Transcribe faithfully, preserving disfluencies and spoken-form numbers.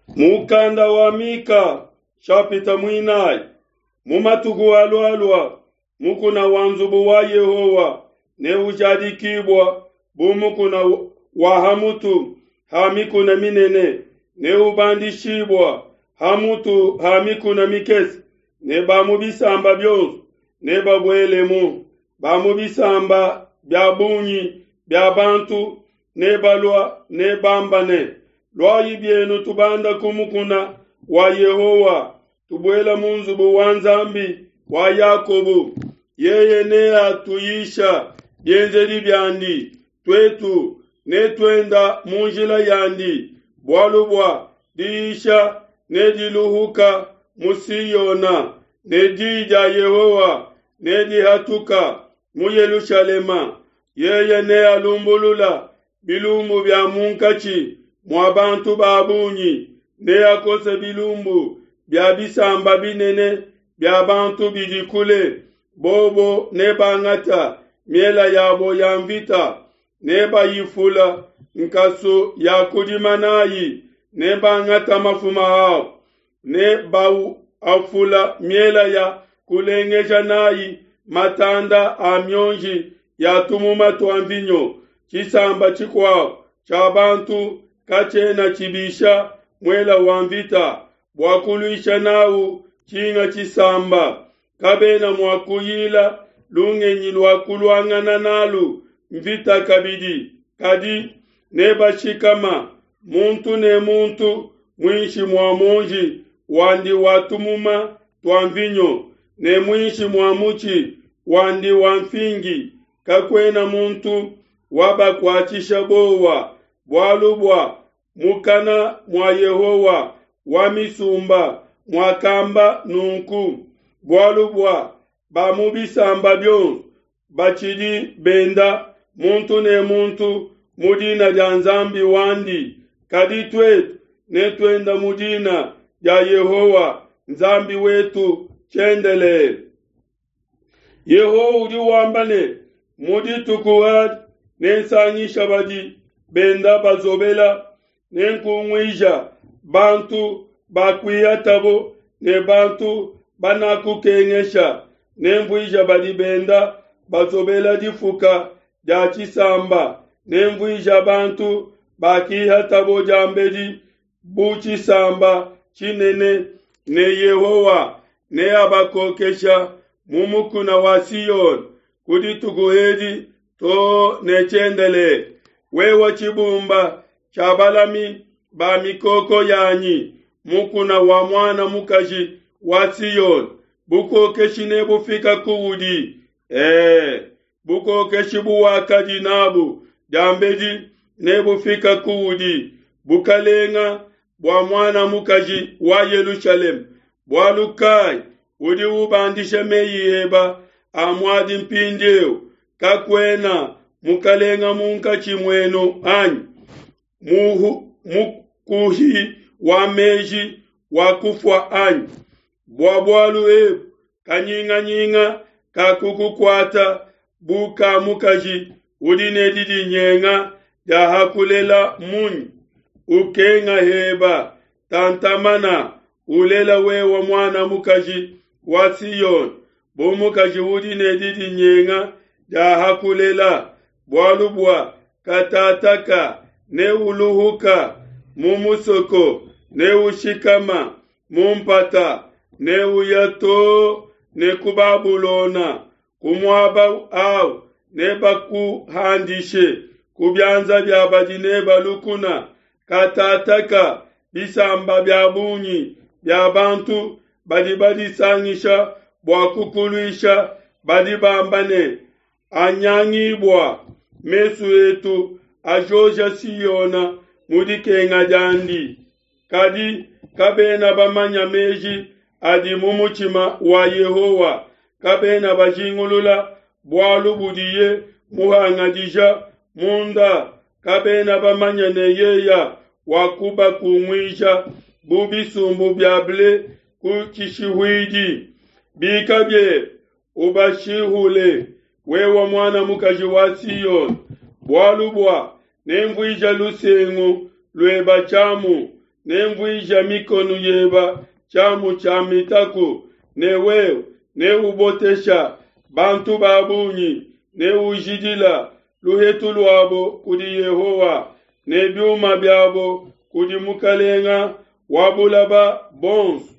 Mukanda wa Mika nshapita muinayi. Mu matuku alualua, mukuna wa nzubu wa Yehowa neujadikibua bu mukuna wa ha mutu ha mikuna minene, neubandishibua ha mutu ha mikuna mikese, ne ba mu bisamba bionso nebabuelemu. Ba mu bisamba bia bungi bia bantu nebalua, nebamba ne: Luayi bienu tubanda ku mukuna wa Yehowa, tubuela mu nzubu wa Nzambi wa Yakobo. Yeye neatuyisha bienzedi biandi, tuetu netuenda mu njila yandi. Bualu bua diyisha nediluhuka mu Siona, ne di dia Yehowa nedihatuka mu Yelushalema. Yeye nealumbulula bilumbu bia munkatshi mua bantu ba bungi, neakose bilumbu bia bisamba binene bia bantu bidi kule. Bobo nebangata miela yabo ya mvita, nebayifula nkasu ya kudima nayi, nebangata mafuma abo, nebawafula miela ya kulengeja nayi matanda a mionji ya tumuma tua mvinyo. Tshisamba tshikuabo tshia bantu katshiena tshibisha muela wa mvita bua kuluisha nawu tshinga tshisamba. Kabena mua kuyila lungenyi lua kuluangana nalu mvita kabidi, kadi nebashikama muntu ne muntu muinshi mua muonji wandi wa tumuma tua mvinyo ne muinshi mua mutshi wandi wa mfingi. Kakuena muntu wabakuatshisha bowa, bualu bua mukana mua Yehowa wa misumba muakamba nunku. Bualu bua ba mu bisamba bionso batshidi benda muntu ne muntu mu dina dia Nzambi wandi, kadi tuetu netuenda mu dina dia Yehowa Nzambi wetu tshiendelele. Yehowa udi wamba ne: Mu dituku adi nensangisha badi benda bazobela, nenkunguija bantu bakuihatabo ne bantu banakukengesha, nenvuija badi benda bazobela difuka dia tshisamba, nenvuija bantu bakihatabo diambedi bu tshisamba tshinene, ne Yehowa neabakokesha mu mukuna wa Siona ku dituku edi to ne tshiendelele. Wewe tshibumba tshia balami ba mikoko yanyi, mukuna wa muana mukaji wa Siona, bukokeshi nebufika kuudi. Eh, bukokeshi buwakadi nabu diambedi nebufika kuudi, bukalenga bua muana mukaji wa Yelushalema. Bualu kai udi ubandisha meyi eba a muadi mpindieu? Kakuena mukalenga munkatshi muenu anyi? Muhu, mukuhi wa meji wa kufua anyi? Bua bualu ebu kanyinganyinga kakukukuata bu ka mukaji udi ne didinyenga dia hakulela munyi? Ukenga heba tantamana, ulela wewa muana mukaji wa Siona, bu mukaji udi ne didinyenga dia hakulela. Bualu bua katataka neuluhuka mu musoko, neushikama mu mpata, neuya to ne ku Babulona. Ku muaba awu nebakuhandishe ku bianza bia badi neba lukuna. Katataka bisamba bia bungi bia bantu badi badisangisha bua kukuluisha, badi bamba ne: Anyangibua mesu etu ajoja Siona mu dikenga diandi. Kadi kabena bamanya meji adi mu mutshima wa Yehowa, kabena bajingulula bualu budiye muhangadija munda, kabena bamanya ne yeya wakubakunguija bu bisumbu bia ble ku tshishihuidi. Bika biebe, ubashihule, wewe muana mukaji wa Siona, bualu bua nenvuija lusengu lueba tshiamu, Nenvuija mikonu yeba tshiamu tshia mitaku, ne wewe neubotesha bantu ba bungi, neujidila luhetu luabo kudi Yehowa, ne biuma biabo kudi Mukalenga wa bulaba bonsu.